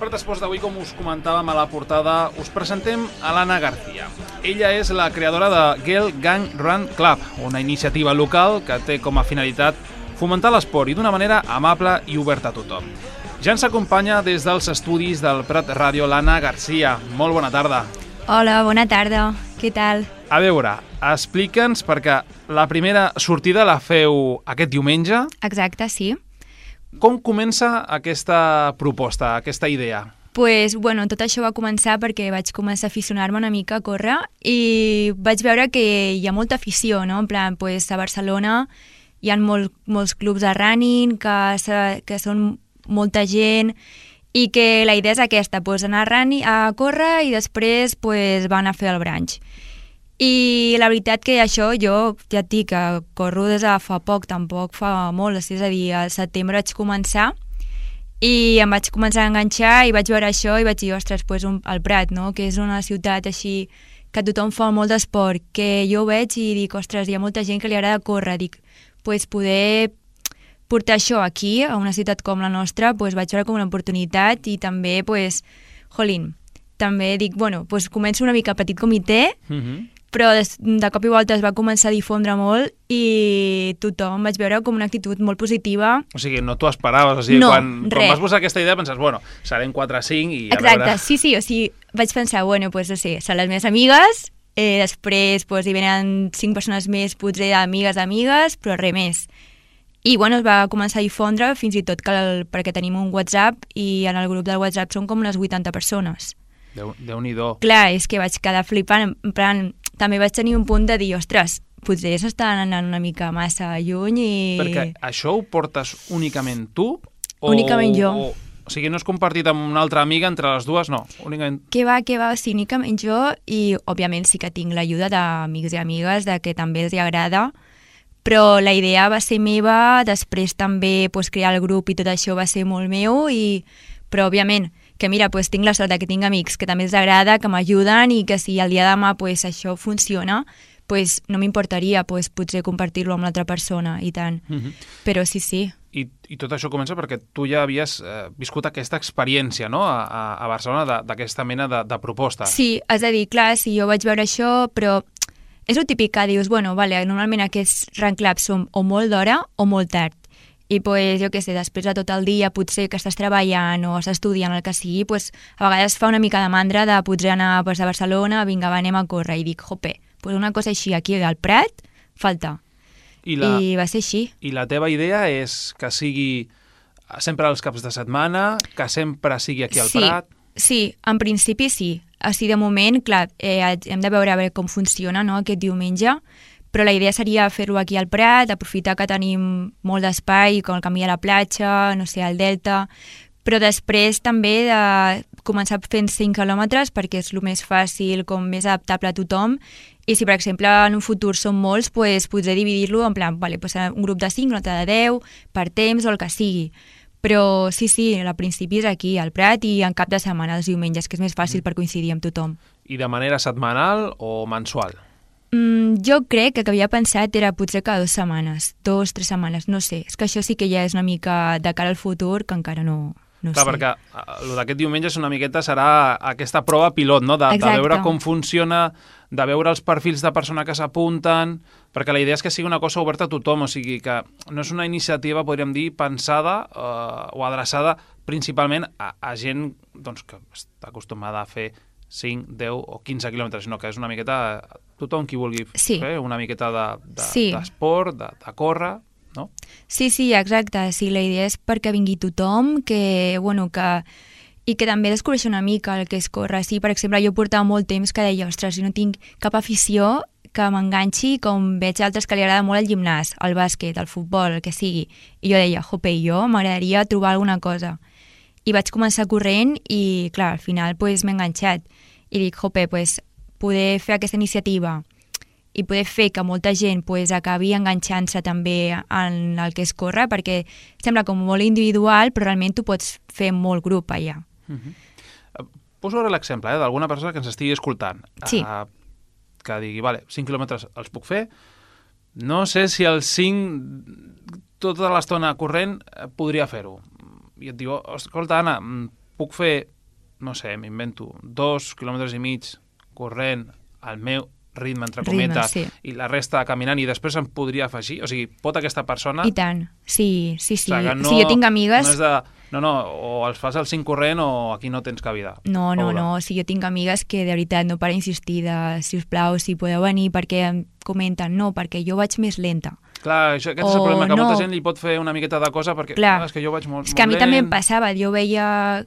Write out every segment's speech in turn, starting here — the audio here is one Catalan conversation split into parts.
Prat Esports d'avui, com us comentàvem a la portada, us presentem a l'Anna García. Ella és la creadora de Girl Gang Run Club, una iniciativa local que té com a finalitat fomentar l'esport i d'una manera amable i oberta a tothom. Ja ens acompanya des dels estudis del Prat Ràdio l'Anna García. Molt bona tarda. Hola, bona tarda. Què tal? A veure, explica'ns, perquè la primera sortida la feu aquest diumenge. Exacte, sí. Com comença aquesta proposta, aquesta idea? Pues, bueno, tot això va començar perquè vaig començar a aficionar-me una mica a córrer i vaig veure que hi ha molta afició, no? En plan, pues, a Barcelona hi ha molts clubs de running, que són molta gent i que la idea és aquesta, pues, anar a córrer i després pues, van a fer el brunch. I la veritat que això jo ja et dic que corro des de fa poc, tampoc fa molt, és a dir, al setembre vaig començar i em vaig començar a enganxar i vaig veure això i vaig dir, ostres, pues, el Prat, no? Que és una ciutat així que tothom fa molt d'esport, que jo ho veig i dic, ostres, hi ha molta gent que li agrada córrer, dic, pues, poder portar això aquí, a una ciutat com la nostra, pues, vaig veure com una oportunitat i també, pues, jolín, també dic, bueno, pues, començo una mica petit comitè, però de cop i volta es va començar a difondre molt i tothom vaig veure com una actitud molt positiva. O sigui, no t'ho esperaves, o sigui, no, quan vas posar aquesta idea penses, bueno, serem 4 o 5 i a Exacte, veure... sí, o sigui, vaig pensar, bueno, pues no sé, són les meves amigues, després pues, hi venen 5 persones més, potser d'amigues, però res més. I bueno, es va començar a difondre fins i tot perquè tenim un WhatsApp i en el grup del WhatsApp són com unes 80 persones. Déu-n'hi-do. Clar, és que vaig quedar flipant, en plan, també vaig tenir un punt de dir, ostres, potser s'estan anant una mica massa lluny i... Perquè això ho portes únicament tu? Únicament jo. O sigui, no és compartit amb una altra amiga entre les dues, no? Únicament... Què va, o sigui, únicament jo i, òbviament, sí que tinc l'ajuda d'amics i amigues, de que també els agrada, però la idea va ser meva, després també pues, crear el grup i tot això va ser molt meu, però òbviament que mira, pues, tinc la sort que tinc amics que també els agrada, que m'ajuden i que si el dia de demà pues, això funciona, pues, no m'importaria pues, potser compartir-lo amb l'altra persona i tant. Però sí. I tot això comença perquè tu ja havies viscut aquesta experiència, no?, a Barcelona d'aquesta mena de proposta. Sí, és a dir, clar, sí, jo vaig veure això, però és el típic que dius, bueno, vale, normalment aquests run clubs són o molt d'hora o molt tard. I pues, jo què sé, després de tot el dia potser que estàs treballant o estàs estudiant el que sigui, pues, a vegades fa una mica de mandra de potser anar pues, a Barcelona, vinga, anem a córrer, i dic, jope, pues una cosa així aquí al Prat, falta. I va ser així. I la teva idea és que sigui sempre als caps de setmana, que sempre sigui aquí al Prat? Sí, en principi sí. Així de moment, clar, hem de veure com funciona, no?, aquest diumenge, però la idea seria fer-ho aquí al Prat, aprofitar que tenim molt d'espai, com el camí a la platja, no sé, al Delta, però després també de començar fent 5 quilòmetres perquè és el més fàcil, com més adaptable a tothom, i si per exemple en un futur són molts, pues, potser dividir-lo en plan, vale, pues, un grup de 5, un altre de 10, per temps o el que sigui. Però sí, al principi és aquí, al Prat, i en cap de setmana, els diumenges, que és més fàcil per coincidir amb tothom. I de manera setmanal o mensual? Jo crec que havia pensat era potser cada 2 setmanes, 2 o 3 setmanes, no sé. És que això sí que ja és una mica de cara al futur, que encara no Clar, sé. Perquè el d'aquest diumenge és una miqueta serà aquesta prova pilot, no?, de veure com funciona, de veure els perfils de persona que s'apunten, perquè la idea és que sigui una cosa oberta a tothom, o sigui que no és una iniciativa, podríem dir, pensada o adreçada principalment a gent doncs, que està acostumada a fer 5, 10 o 15 quilòmetres, sinó que és una miqueta tothom qui vulgui fer una miqueta d'esport, de córrer, no? Sí, exacte. Sí, la idea és perquè vingui tothom, que també descobreixi una mica el que és córrer. Sí, per exemple, jo portava molt temps que deia, ostres, jo no tinc cap afició que m'enganxi, com veig altres que li agrada molt el gimnàs, el bàsquet, el futbol, el que sigui. I jo deia, jope, jo m'agradaria trobar alguna cosa. I vaig començar corrent i, clar, al final pues, m'he enganxat. I dic, jope, pues, poder fer aquesta iniciativa i poder fer que molta gent pues, acabi enganxant-se també en el que és córrer, perquè sembla com molt individual, però realment tu pots fer molt grup allà. Poso ara l'exemple d'alguna persona que ens estigui escoltant. Sí. Que digui, vale, 5 quilòmetres els puc fer, no sé si els 5 tota l'estona corrent podria fer-ho. I et diu, escolta, Anna, puc fer, no sé, m'invento, 2,5 quilòmetres corrent al meu ritme, entre cometes, i la resta caminant, i després em podria afegir? O sigui, pot aquesta persona... I tant, sí. O sigui, no, jo tinc amigues... No és de... No, o els fas al 5 corrent o aquí no tens cabida. No. O sigui, jo tinc amigues que de veritat no paren insistir de, si us plau, si podeu venir, perquè em comenten, no, perquè jo vaig més lenta. Clar, aquest és el problema, que molta gent li pot fer una miqueta de cosa perquè és que jo vaig molt lent. És que a mi també em passava, jo veia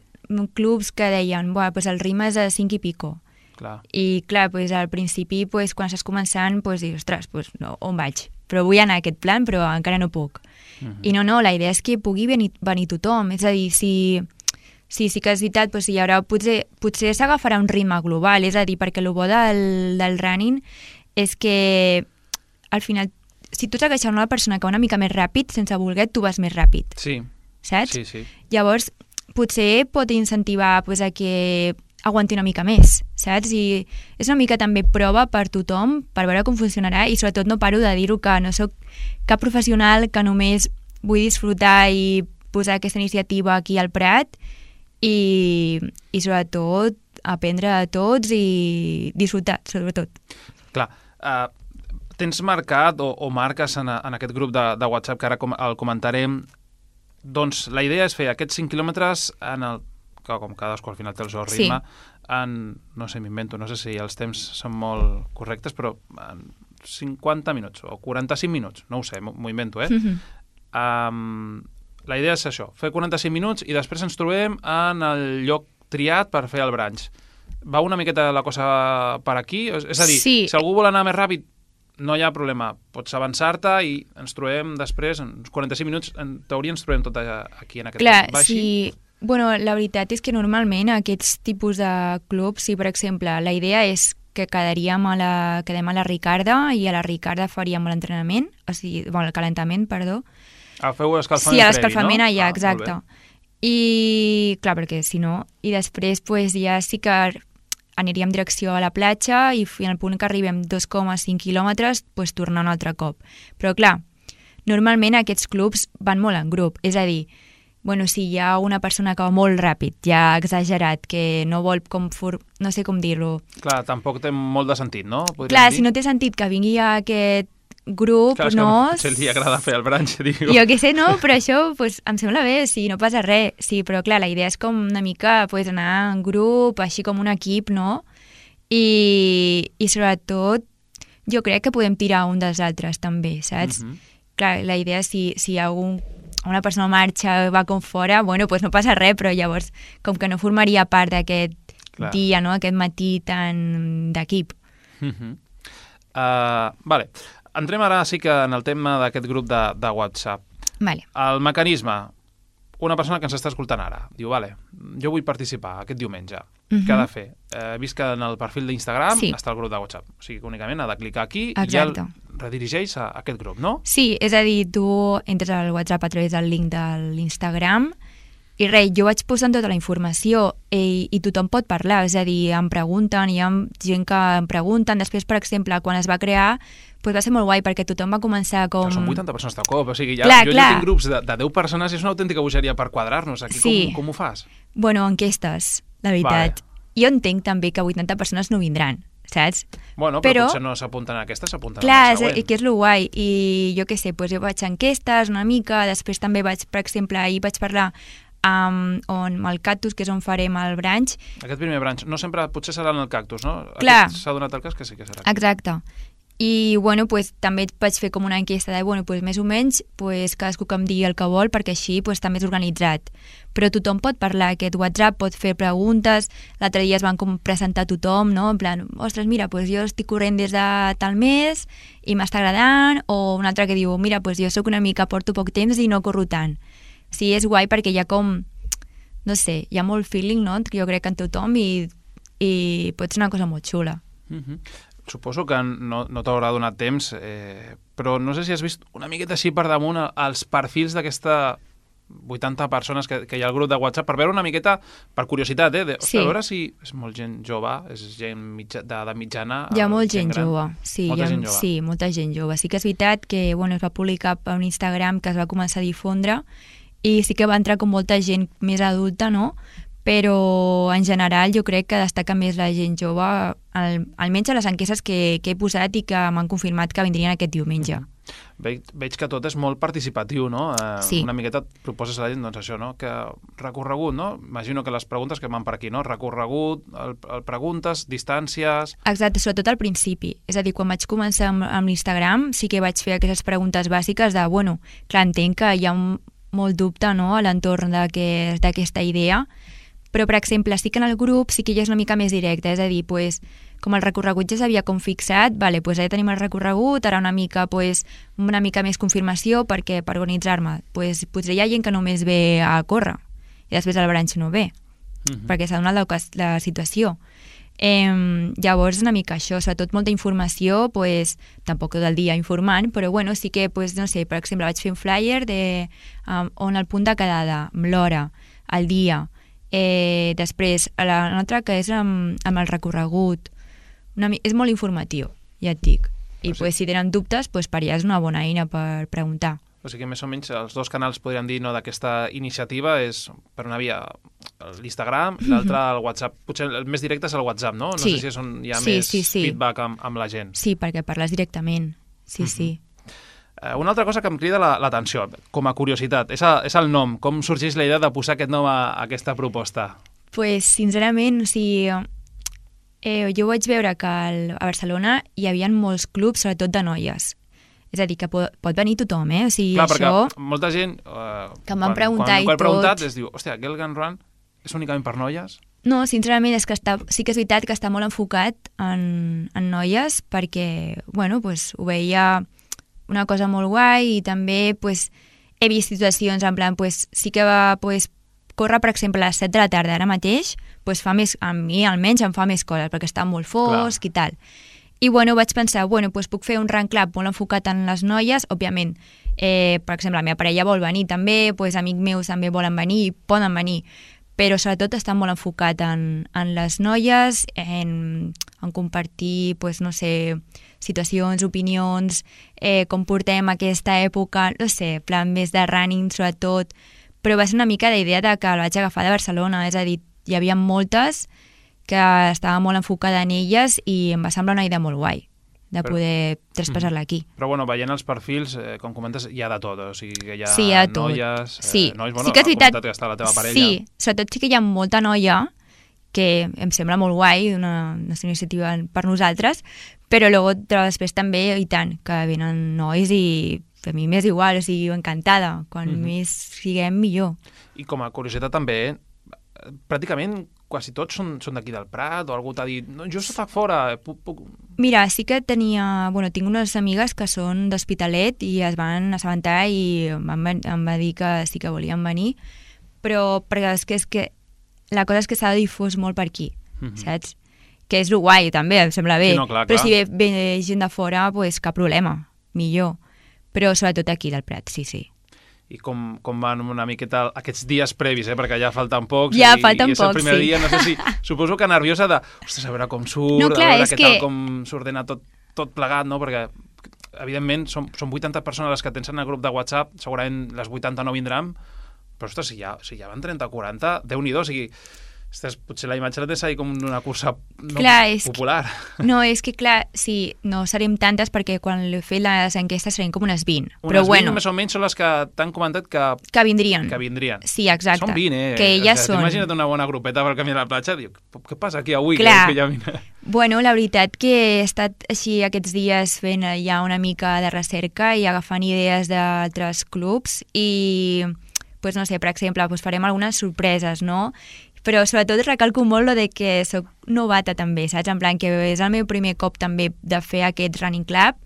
clubs que deien, pues el ritme és a 5 i pico. Clar. I clar, pues, al principi, pues, quan estàs començant, pues, dius, ostres, pues, no, on vaig? Però vull anar a aquest plan, però encara no puc. I no, la idea és que pugui venir tothom. És a dir, si que és veritat, pues, hi haurà, potser s'agafarà un ritme global. És a dir, perquè el bo del running és que al final, si tu segueixes una persona que va una mica més ràpid, sense voler, tu vas més ràpid. Sí. Saps? Sí. Llavors, potser pot incentivar pues, a que aguanti una mica més, saps? I és una mica també prova per tothom, per veure com funcionarà, i sobretot no paro de dir-ho, que no sóc cap professional, que només vull disfrutar i posar aquesta iniciativa aquí al Prat, i sobretot aprendre a tots i disfrutar, sobretot. Clar, tens marcat o marques en aquest grup de WhatsApp, que ara el comentarem, doncs la idea és fer aquests 5 quilòmetres com cadascú al final té el seu ritme, no sé, m'invento, no sé si els temps són molt correctes, però en 50 minuts o 45 minuts, no ho sé, m'ho invento, la idea és això, fer 45 minuts i després ens trobem en el lloc triat per fer el brunch. Va una miqueta la cosa per aquí? És a dir, si algú vol anar més ràpid, no hi ha problema, pots avançar-te i ens trobem després, en uns 45 minuts, en teoria ens trobem tot aquí en aquest lloc. Clar, sí. Bueno, la veritat és que normalment aquests tipus de clubs, si per exemple la idea és que quedem a la Ricarda i a la Ricarda faríem l'entrenament, o sigui, el calentament, perdó. Feu escalfament previ, no? Sí, l'escalfament allà, exacte. I, clar, perquè si no... I després, pues, ja sí que aniríem en direcció a la platja i en el punt que arribem 2,5 quilòmetres, pues, tornar un altre cop. Però, clar, normalment aquests clubs van molt en grup, és a dir, bueno, si hi ha una persona que va molt ràpid, ja exagerat, que no vol no sé com dir-ho. Clar, tampoc té molt de sentit, no? Clar, si no té sentit que vingui a aquest grup, clar, no... Clar, potser li agrada fer el brunch, digo. Jo què sé, no, però això pues, em sembla bé, sí, no passa res. Sí, però clar, la idea és com una mica pues, anar en grup, així com un equip, no? I sobretot, jo crec que podem tirar un dels altres també, saps? Clar, la idea és si una persona marxa, va com fora, bueno, pues no passa res, però llavors com que no formaria part d'aquest dia, no? Aquest matí tan d'equip. Vale. Entrem ara sí que en el tema d'aquest grup de WhatsApp. Vale. El mecanisme, una persona que ens està escoltant ara, diu, vale, jo vull participar aquest diumenge, què ha de fer? He vist que en el perfil d'Instagram està el grup de WhatsApp, o sigui que únicament ha de clicar aquí i ja el redirigeix a aquest grup, no? Sí, és a dir, tu entres al WhatsApp a través del link de l'Instagram i res, jo vaig posant tota la informació i tothom pot parlar, és a dir, em pregunten, hi ha gent que em pregunten, després, per exemple, quan es va crear, pues va ser molt guai perquè tothom va començar com... Són 80 persones de cop, o sigui, jo tinc grups de 10 persones i és una autèntica bogeria per quadrar-nos. Aquí com ho fas? Bueno, enquestes, la veritat. Jo entenc també que 80 persones no vindran, saps? Bueno, però potser no s'apunten a aquestes, s'apunten a la següent. Clar, que és lo guai. I jo què sé, jo vaig a enquestes una mica, després també vaig, per exemple, ahir vaig parlar amb el Cactus, que és on farem el brunch. Aquest primer brunch, no sempre, potser serà en el Cactus, no? Clar. S'ha donat el cas que sí que serà. Exacte. I, bueno, pues, també vaig fer com una enquesta de, bueno, pues, més o menys, pues, cadascú que em digui el que vol, perquè així pues, també és organitzat. Però tothom pot parlar, aquest WhatsApp pot fer preguntes, l'altre dia es van com presentar tothom, no? En plan, ostres, mira, pues, jo estic corrent des de tal mes i m'està agradant, o un altre que diu, mira, pues, jo sóc una mica, porto poc temps i no corro tant. Sí, és guai perquè hi ha com, no sé, hi ha molt feeling, no? Jo crec en tothom i pot ser una cosa molt xula. Suposo que no t'haurà donat temps, però no sé si has vist una miqueta així per damunt els perfils d'aquesta 80 persones que hi ha al grup de WhatsApp, per veure una miqueta, per curiositat, a veure si és molt gent jove, és gent d'edat mitjana... Hi ha molt gent jove, sí, molta gent jove. Sí que és veritat que es va publicar per un Instagram que es va començar a difondre i sí que va entrar com molta gent més adulta, no? però en general jo crec que destaca més la gent jove, almenys a les enquestes que he posat i que m'han confirmat que vindrien aquest diumenge. Veig que tot és molt participatiu, no? Sí. Una miqueta et proposes a la gent, doncs això, no? Que recorregut, no? Imagino que les preguntes que van per aquí, no? Recorregut, el preguntes, distàncies... Exacte, sobretot al principi. És a dir, quan vaig començar amb l'Instagram sí que vaig fer aquestes preguntes bàsiques de, bueno, clar, entenc que hi ha molt dubte, no?, a l'entorn d'aquesta idea, però, per exemple, sí que en el grup sí que ja és una mica més directe, és a dir, pues, com el recorregut ja s'havia com fixat, vale, pues ja tenim el recorregut, ara una mica més confirmació perquè per organitzar-me, pues, potser hi ha gent que només ve a córrer i després al branch no ve, perquè s'ha donat la situació. Llavors una mica això, sobretot molta informació, pues, tampoc tot el dia informant, però bueno, sí que, pues, no sé, per exemple, vaig fer un flyer on el punt de quedada, amb l'hora, el dia, després l'altre que és amb el recorregut, és molt informatiu, ja et dic, i pues, si tenen dubtes, pues, per allà és una bona eina per preguntar. O sigui, més o menys els dos canals podríem dir, no, d'aquesta iniciativa és per una via l'Instagram i l'altra el WhatsApp. Potser el més directe és el WhatsApp, no? No sé si és on hi ha més feedback amb la gent. Sí, perquè parles directament, sí. Una altra cosa que em crida l'atenció, com a curiositat, és el nom. Com sorgeix la idea de posar aquest nom a aquesta proposta? Pues, sincerament, o sigui, jo vaig veure que a Barcelona hi havia molts clubs, sobretot de noies. És a dir, que pot venir tothom, O sigui, clar, això... perquè molta gent... que em van preguntar i tot... Quan he preguntat, es diu, hòstia, Girl Can Run és únicament per noies? No, sincerament, és que sí que és veritat que està molt enfocat en noies perquè, bueno, pues, ho veia una cosa molt guai i també pues, he vist situacions en plan, pues, sí que va pues, córrer, per exemple, a les 7 de la tarda ara mateix, pues, fa més, a mi almenys em fa més coses perquè està molt fosc i tal. I bueno, vaig pensar, bueno, pues, puc fer un run club molt enfocat en les noies, òbviament, per exemple, la meva parella vol venir també, pues, amics meus també volen venir, poden venir, però sobretot està molt enfocat en les noies, en compartir, pues, no sé, situacions, opinions, com portem aquesta època, no sé, plan més de running sobretot, però va ser una mica la idea de que el vaig agafar de Barcelona, és a dir, hi havia moltes que estava molt enfocada en elles i em va semblar una idea molt guai de poder traspassar-la aquí. Però bueno, veient els perfils, com comentes, hi ha de tot, o sigui que hi ha noies, nois, bueno, sí que és veritat, que està la teva parella. Sí, sobretot sí que hi ha molta noia, que em sembla molt guai, una iniciativa per nosaltres, però després també, i tant, que venen nois i a mi m'és igual, o sigui, encantada, quan més siguem millor. I com a curiositat també, pràcticament quasi tots són d'aquí del Prat, o algú t'ha dit, no, jo soc fora, puc... Mira, sí que tinc unes amigues que són d'Hospitalet i es van assabentar i em va dir que sí que volien venir, però perquè és que la cosa és que s'ha difós molt per aquí, saps? Que és lo guai, també, em sembla bé. Sí, no, clar. Però si ve gent de fora, pues cap problema, millor. Però sobretot aquí del Prat, sí. I com van una miqueta aquests dies previs, perquè ja falten pocs. Ja falten pocs, sí. I és el primer dia, no sé si... Suposo que nerviosa de, ostres, a veure com surt, no, clar, a veure tal com s'ordena tot plegat, no? Perquè, evidentment, són 80 persones les que tens en el grup de WhatsApp, segurament les 80 no vindran, però, ostres, si ja van 30 o 40, Déu-n'hi-do, o sigui... Ostres, potser la imatge la tens ahí com una cursa popular. No, és que clar, sí, no serem tantes perquè quan l'he fet les enquestes serem com unes 20. Unes 20 més o menys són les que t'han comentat que vindrien. Sí, exacte. Són 20, que elles són. Imagina't una bona grupeta per camí a la platja, diu, què passa aquí avui? Clar. Que ja vine? Bueno, la veritat que he estat així aquests dies fent ja una mica de recerca i agafant idees d'altres clubs i, pues, no sé, per exemple, pues, farem algunes sorpreses, no? Però sobretot recalco molt lo de que soc novata també, saps? En plan que és el meu primer cop també de fer aquest running club,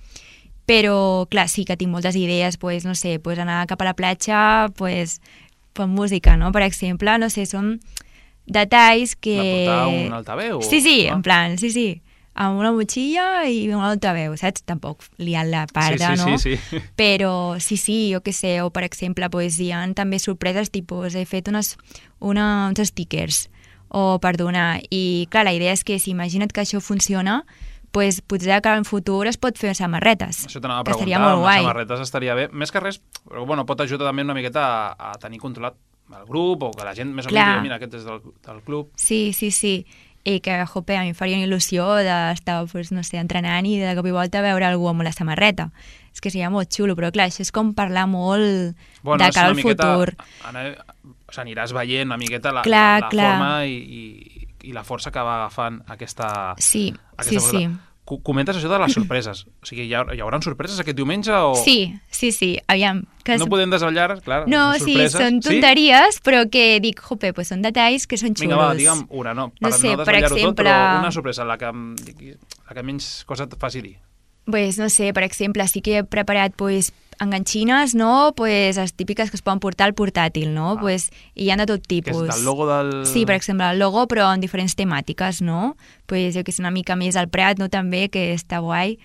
però clar, sí que tinc moltes idees, pues, no sé, pues, anar cap a la platja, pues, amb música, no? Per exemple, no sé, són detalls que... Va portar un altaveu? Sí, en plan, sí, amb una motxilla i un altaveu, saps? Tampoc liant la parda, no? Sí. Però sí, jo què sé, o per exemple, pues, hi ha també sorpreses, tipus, he fet uns stickers o per donar, i clar, la idea és que si imagina't que això funciona, pues, potser que en futur es pot fer samarretes. Això t'anava a preguntar, unes samarretes estaria bé. Més que res, però bueno, pot ajudar també una miqueta a tenir controlat el grup, o que la gent més o menys diu, mira, aquest és del club. Sí. I que, jope, a mi em faria una il·lusió d'estar, pues, no sé, entrenant i de cop i volta veure algú amb la samarreta. És que seria molt xulo, però clar, això és com parlar molt de cara al futur. Aniràs veient una miqueta la forma i la força que va agafant aquesta... Sí. Comentes això de les sorpreses. O sigui, hi haurà sorpreses aquest diumenge? O... Sí. Aviam. No podem desvetllar, clar, no, són sorpreses. Sí, són tonteries, però que dic, jope, pues són detalls que són xulos. Vinga, va, digue'm una, no? Per no desvetllar-ho tot, però una sorpresa, la que menys cosa et faci dir. Pues no sé, per exemple, sí que he preparat pues, enganxines, no? Pues, les típiques que es poden portar al portàtil, no? Pues, i hi ha de tot tipus. Que és del logo del... Sí, per exemple, el logo, però en diferents temàtiques, no? Pues, jo que sé, una mica més al Prat, no? També, que està guai.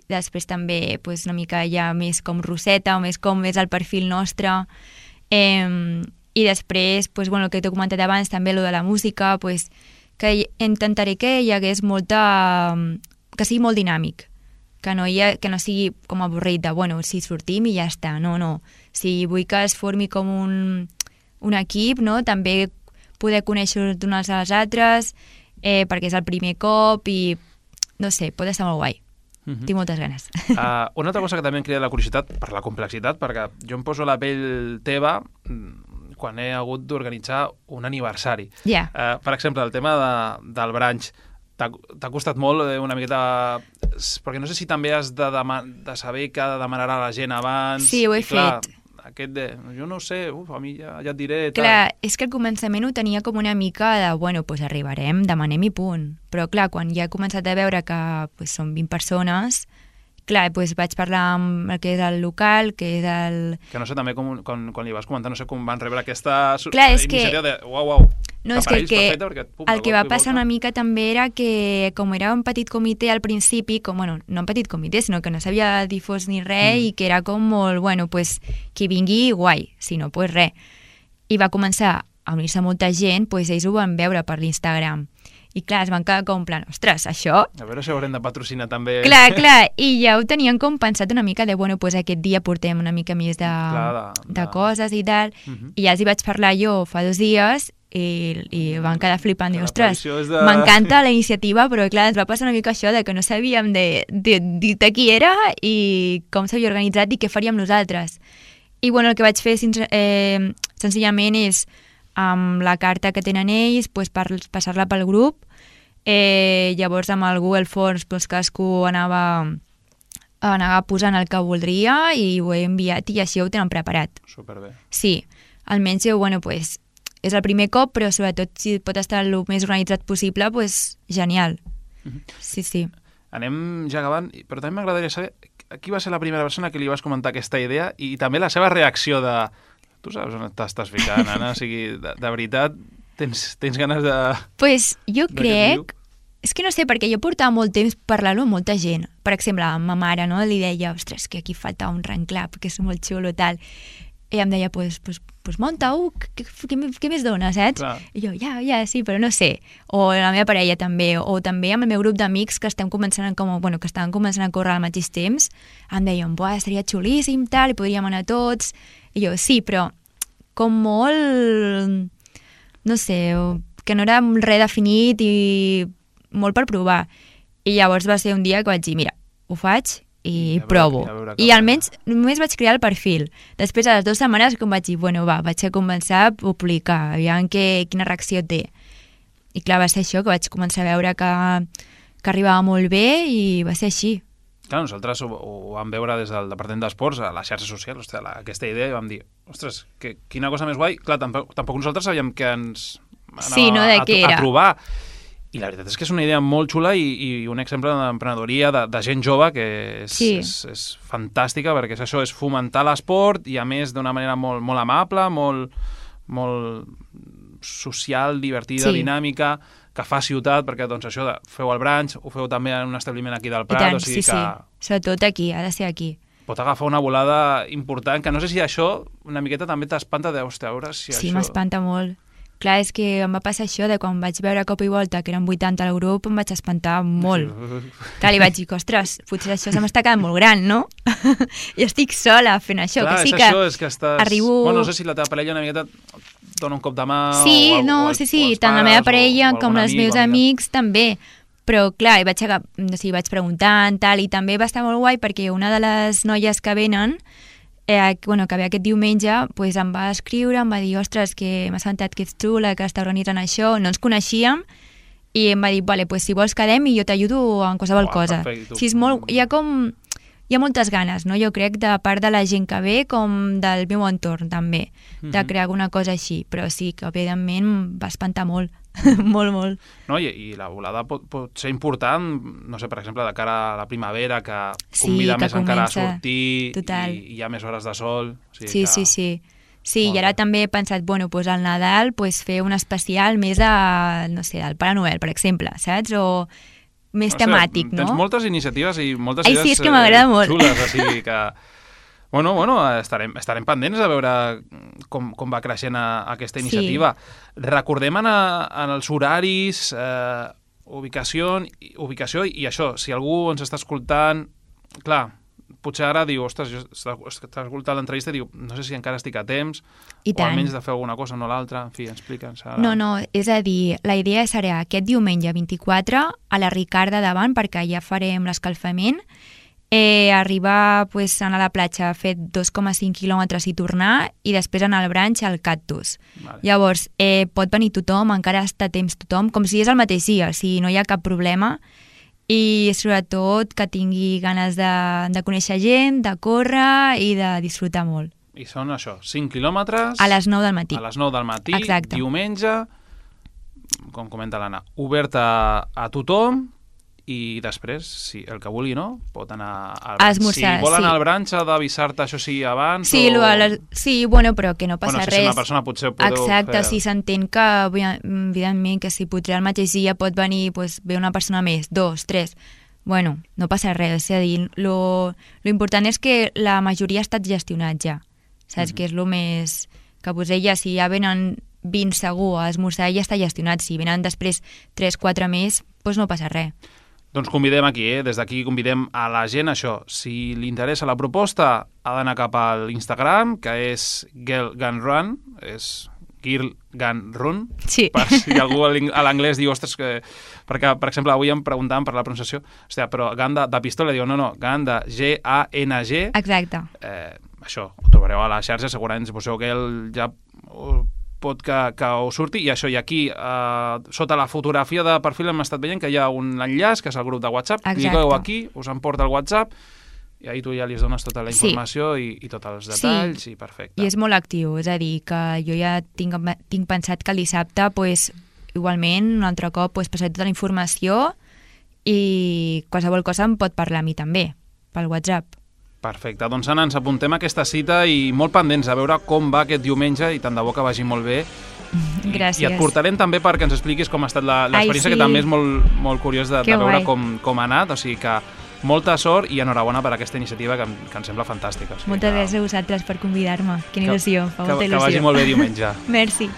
Després també pues, una mica ja més com roseta, o més com és el perfil nostre. I després, pues, bueno, el que t'he comentat abans, també lo de la música, pues, que intentaré que hi hagués molta... que sigui molt dinàmic. Que no sigui com avorrit de, bueno, si sortim i ja està, no. Si vull que es formi com un equip, no? També poder conèixer d'unes a les altres, perquè és el primer cop i, no sé, pot estar molt guai. Tinc moltes ganes. Una altra cosa que també em crida la curiositat, per la complexitat, perquè jo em poso la pell teva quan he hagut d'organitzar un aniversari. Per exemple, el tema del brunch, t'ha costat molt una miqueta... Perquè no sé si també has de saber què demanarà la gent abans. Sí, ho he fet. Jo no sé, a mi ja et diré... Clar, és que al començament ho tenia com una mica de, bueno, doncs arribarem, demanem i punt. Però clar, quan ja he començat a veure que són 20 persones, clar, doncs vaig parlar amb el que és el local, que és el... Que no sé també quan li vas comentar, no sé com van rebre aquesta iniciativa de uau. No, és que el que va passar una mica també era que, com era un petit comitè al principi, no un petit comitè, sinó que no s'havia difós ni res i que era com molt, bueno, pues, qui vingui, guai, si no, pues res. I va començar a unir-se molta gent, pues ells ho van veure per l'Instagram. I clar, es van quedar com en plan, ostres, això... A veure si haurem de patrocinar també... Clar, i ja ho tenien com pensat una mica de, bueno, pues aquest dia portem una mica més de coses i tal, i ja els hi vaig parlar jo fa 2 dies i van quedar flipant, i ostres, m'encanta la iniciativa, però clar, ens va passar una mica això de que no sabíem de qui era i com s'havia organitzat i què faríem nosaltres. I bueno, el que vaig fer senzillament és amb la carta que tenen ells, pues, passar-la pel grup, llavors amb el Google Forms pues, cadascú anava posant el que voldria i ho he enviat i així ho tenen preparat. Superbé. Sí, almenys bueno, pues, és el primer cop, però sobretot si pot estar el més organitzat possible, pues, genial. Sí. Anem ja acabant, però també m'agradaria saber qui va ser la primera persona que li vas comentar aquesta idea i també la seva reacció de... Tu saps on t'estàs ficant, Anna? O sigui, de veritat, tens ganes de... Pues jo crec... És que no sé, perquè jo portava molt temps parlant-ho amb molta gent. Per exemple, amb ma mare, no? Li deia, ostres, que aquí falta un ranclap, que és molt xulo, tal. I em deia, pues munta-ho, què més dona, saps? Clar. I jo, ja, sí, però no sé. O la meva parella també, o també amb el meu grup d'amics que estaven començant a córrer al mateix temps, em deien, seria xulíssim, tal, i podríem anar tots. I jo, sí, però com molt, no sé, que no era res definit i molt per provar. I llavors va ser un dia que vaig dir, mira, ho faig i provo. I almenys només vaig crear el perfil. Després, a les 2 setmanes, com vaig dir, bueno, vaig a començar a publicar, aviam quina reacció té. I clar, va ser això, que vaig començar a veure que arribava molt bé i va ser així. Clar, nosaltres ho vam veure des del Departament d'Esports, a les xarxes socials, aquesta idea, i vam dir, ostres, quina cosa més guai. Clar, tampoc nosaltres sabíem que ens anava a trobar. I la veritat és que és una idea molt xula i un exemple d'emprenedoria de gent jove que és fantàstica, perquè és això, és fomentar l'esport i a més d'una manera molt, molt amable, molt social, divertida, dinàmica, que fa ciutat, perquè doncs això feu el brunch, ho feu també en un establiment aquí del Prat, o sigui que... Sí, sobretot aquí, ha de ser aquí. Pot agafar una volada important, que no sé si això una miqueta també t'espanta de, hòstia, a veure si això... Sí, m'espanta molt. Clar, és que em va passar això de quan vaig veure cop i volta que eren 80 al grup, em vaig espantar molt. Clar, li vaig dir, ostres, potser això se m'està quedant molt gran, no? Jo estic sola fent això, clar, que sí que... Clar, és això, és que estàs... Arribo... Bueno, no sé si la teva parella una miqueta dona un cop de mà... Sí, tant la meva parella com els meus amics també. Però, clar, vaig preguntant, tal, i també va estar molt guai perquè una de les noies que venen, que ve aquest diumenge, em va escriure, em va dir, ostres, que m'ha assabentat que ets tu la que està organitzant això, no ens coneixíem, i em va dir, vale, si vols quedem i jo t'ajudo en qualsevol cosa. Sí, hi ha moltes ganes, no? Jo crec, de part de la gent que ve com del meu entorn, també, de crear alguna cosa així. Però sí, que evidentment va espantar molt, molt. No, i la volada pot ser important, no sé, per exemple, de cara a la primavera, que convida més encara a sortir i hi ha més hores de sol. Sí. Sí, i ara també he pensat, al Nadal fer un especial més del Pare Noel, per exemple, saps? O més temàtic, no? Tens moltes iniciatives i moltes idees sí, és que m'agrada molt. Xules, o sigui que... Bueno, estarem pendents de veure com va creixent aquesta iniciativa. Sí. Recordem en els horaris, ubicació i això, si algú ens està escoltant, clar, potser ara diu, ostres, està escoltant l'entrevista i diu, no sé si encara estic a temps, o almenys de fer alguna cosa, no l'altra, en fi, explica'ns. No, és a dir, la idea serà aquest diumenge 24 a la Ricarda davant, perquè ja farem l'escalfament, arribar anar a la platja, fer 2,5 quilòmetres i tornar, i després anar al branch al Cactus. Vale. Llavors, pot venir tothom, encara està a temps tothom, com si és el mateix dia, o sigui, no hi ha cap problema, i sobretot que tingui ganes de conèixer gent, de córrer i de disfrutar molt. I són això, 5 quilòmetres... A les 9 del matí. A les 9 del matí, exacte. Diumenge, com comenta l'Anna, obert a tothom, i després, si el que vulgui, no? Pot anar al branch. Esmorzar, si vol anar al branch, ha d'avisar-te, això sí, abans? Sí, però que no passa res. Si és una persona potser ho podeu fer. Exacte, si s'entén que, evidentment, que si potser el mateix dia pot venir, ve una persona més, 2, 3... no passa res, és a dir, lo important és que la majoria ha estat gestionat ja, saps? Que és el més... Que si ja venen 20 segur a esmorzar, ja està gestionat. Si venen després 3, 4 més, no passa res. Doncs convidem aquí, des d'aquí convidem a la gent, això, si li interessa la proposta, ha d'anar cap a l'Instagram, que és Girl Gun Run, és Girl Gun Run, sí. Per si algú a l'anglès diu, ostres, perquè, per exemple, avui em preguntàvem per la pronunciació, però gun de pistola, diu, no, gun de G-A-N-G. Exacte. Això, ho trobareu a la xarxa, segurament si poseu Girl ja pot que us surti, i això, i aquí sota la fotografia de perfil hem estat veient que hi ha un enllaç, que és el grup de WhatsApp. Cliqueu aquí, us emporta el WhatsApp, i ahir tu ja li dones tota la informació i tots els detalls, i perfecte. I és molt actiu, és a dir, que jo ja tinc pensat que el dissabte, igualment, un altre cop, passaré tota la informació i qualsevol cosa em pot parlar a mi també, pel WhatsApp. Perfecte, doncs Anna, ens apuntem a aquesta cita i molt pendents a veure com va aquest diumenge i tant de bo que vagi molt bé. Gràcies. I et portarem també perquè ens expliquis com ha estat l'experiència, que també és molt curiós de veure com ha anat, o sigui que molta sort i enhorabona per aquesta iniciativa que em sembla fantàstica. Moltes gràcies a vosaltres per convidar-me, quina il·lusió, fa molta il·lusió. Que vagi molt bé diumenge. Merci.